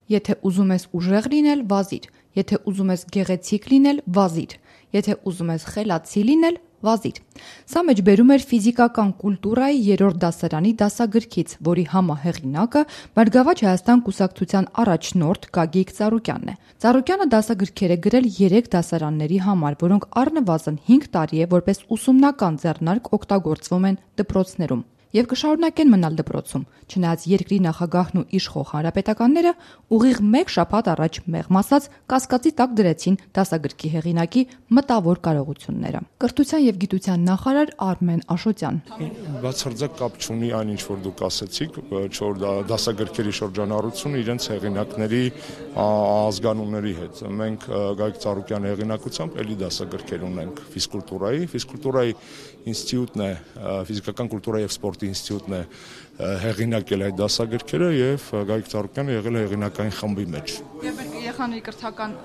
Եթե ուզում ես ուժեղ լինել, վազիր, եթե ուզում ես գեղեցիկ լինել, վազիր, եթե ուզում ես խելացի լինել, վազիր։ Սա մեջբերում էր ֆիզիկական կուլտուրայի 3-րդ դասարանի դասագրքից, որի համահեղինակը Բարգավաճ Հայաստան կուսակցության առաջնորդ Գագիկ Ծառուկյանն է։ Ծառուկյանը դասագրքեր է գրել 3 դասարանների համար, որոնք առնվազն 5 տարի է որպես ուսումնական ձեռնարկ օգտագործվում են դպրոցներում և կշարունակեն մնալ դպրոցում, չնայած երկրի նախագահն ու իշխող հանրապետականները ուղիղ 1 շաբաթ առաջ մեղմ ասած կասկածի տակ դրեցին դասագրքի հեղինակի մտավոր կարողությունները։ Կրթության և գիտության նախարար Արմեն Աշոտյան. Բացարձակ կապ չունի այն, ինչ որ դուք ասեցիք, որ դասագրքերի շրջանառությունը իրենց հեղինակների ազգանունների հետ։ Մենք Գագիկ Ծառուկյանի հեղինակությամբ էլի դասագրքեր ունենք ֆիզկուլտուրայի ինստիտուտն է, ֆիզիկական կուլտուրայի և սպորտի ինստիտուտն է հեղինակել այդ դասագրքերը եւ Գագիկ Ծառուկյանը եղել է հեղինակային խմբի մեջ։ Եվ երեխաների կրթական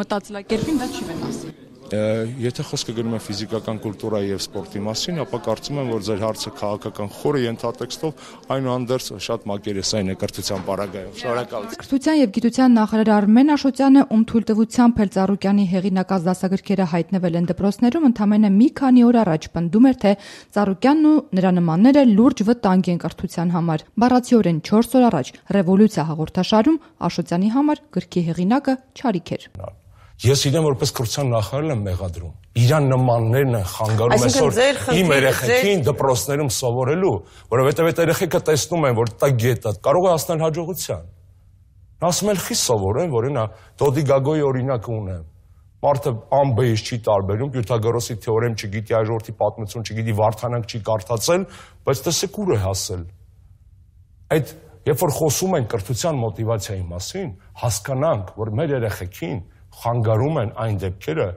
մտածելակերպին դա չի վնասի։ Եթե խոսքը գնում է ֆիզիկական կուլտուրայի եւ սպորտի մասին, ապա կարծում եմ, որ ձեր հարցը քաղաքական խորը ենթատեքստով այնուհանդերձ շատ մակերեսային է կրթության պարագայում։ Շնորհակալություն։ Կրթության եւ գիտության նախարար Արմեն Աշոտյանը, ում թույլտվությամբ էլ Ծառուկյանի հեղինակած դասագրքերը հայտնվել են դպրոցներում, ընդամենը մի քանի օր առաջ պնդում էր, թե Ծառուկյանն ու նրա նմանները լուրջ վտանգ են կրթության համար։ Բառացիորեն 4 օր առաջ Ռևոլյուցիա հաղորդաշարում Աշոտյանի համար գրքի հեղինակը չարիք էր։ Ես իրեն որպես կրթության նախարար եմ մեղադրում։ Իրան նմաններն են խանգարում այսօր իմ երեխեքին դպրոցներում սովորելու, որովհետև այդ երեխեքը տեսնում են, որ դա գետ է, կարող է հասնել հաջողության։ Նա ասում է, «Խի սովորեն, որ նա Դոդի Գագոյի օրինակը ունեմ։ Մարդը ամբեից չի տարբերում, Պյութագորոսի թեորեմ չգիտի, այժորդի պատմություն չգիտի, Վարդանանք չի կարդացել, բայց տեսեք ուր է հասել»։ Այդ երբ որ խոսում են կրթության մոտիվացիայի մասին, հասկանանք, որ մեր երեխեքին խանգարում են այն դեպքերը,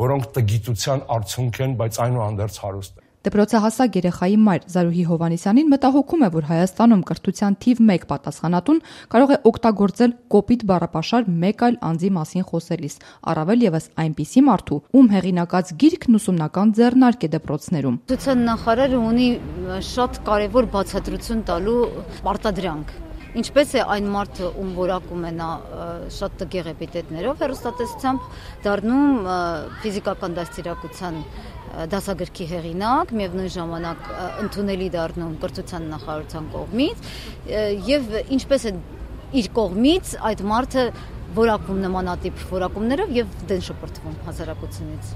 որոնք տգիտության արդյունք են, բայց այնուհանդերձ հարուստ են։ Դպրոցահասակ երեխայի մայր Զարուհի Հովհաննիսյանին մտահոգում է, որ Հայաստանում կրթության թիվ 1 պատասխանատուն կարող է օգտագործել կոպիտ բառապաշար մեկ այլ անձի մասին խոսելիս, առավել ևս այնպիսի մարդու, ում հեղինակած գիրքն ուսումնական ձեռնարկ է դպրոցներում։ Կրթության նախարարը ունի շատ կարևոր բացատրություն տալու պարտադրանք։ Ինչպես է այն մարդը, ում որակում է նա շատ տգեղ էպիտետներով հեռուստատեսությամբ, դառնում ֆիզիկական դաստիարակության դասագրքի հեղինակ, միևնույն ժամանակ ընդունելի դառնում կրթության նախարարության կողմից, եւ ինչպես է իր կողմից այդ մարդը որակում նմանատիպ որակումներով եւ դեն շպրտվում հասարակությունից։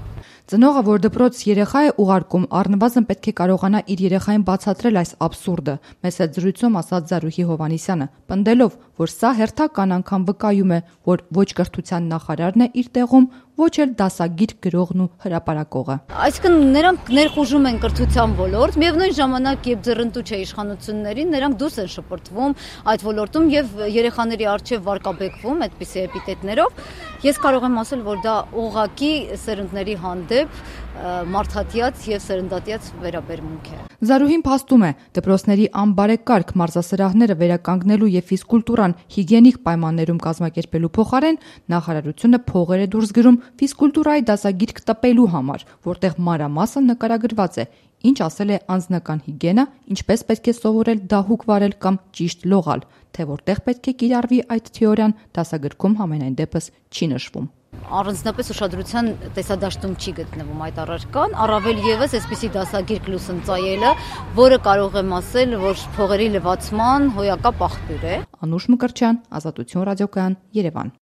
Ծնողը, որ դպրոց երեխա է ուղարկում, առնվազն պետք է կարողանա իր երեխային բացատրել այս աբսուրդը, մեծ հետ զրույցում ասաց Զարուհի Հովհաննիսյանը, պնդելով, որ սա հերթական անգամ վկայում է, որ ոչ կրթության նախարարն է իր տեղում, ոչ էլ դասագիրք գրողն ու հրապարակողը։ Այսինքն նրանք ներխուժում են կրթության ոլորտ, միևնույն ժամանակ երբ ձեռնտու չէ իշխանություններին, նրանք դուրս են շպրտվում այդ ոլորտում եւ երեխաների առջեւ վարկաբեկվում այդպիսի էպիտետներով։ Ես կարող եմ ասել, որ դա ուղղակի սերունդների հանդեպ մարդատյաց եւ սերնդատյաց վերաբերմունք է։ Զարուհին փաստում է, դպրոցների անբարեկարգ մարզասրահները վերականգնելու եւ ֆիզկուլտուրան հիգիենիկ պայմաններում կազմակերպելու փոխարեն նախարարությունը փողեր է դուրս գրում ֆիզկուլտուրայի դասագիրք տպելու համար, որտեղ մանրամասն նկարագրված է, ինչ ասել է անձնական հիգիենա, ինչպես պետք է սովորել դահուկ վարել կամ ճիշտ լողալ, թե որտեղ պետք է կիրառվի այդ թեորիան, դասագրքում համենայն դեպս չի նշվում։ Առանձնապես ուշադրության տեսադաշտում չի գտնվում այդ առարկան, առավել ևս այսպիսի դասագիրք լուսնծայելը, որը կարող եմ ասել, որ փողերի լվացման հոյակապ աղբյուր է։ Անուշ Մկրտչյան, Ազատություն ռադիոկայան, Երևան։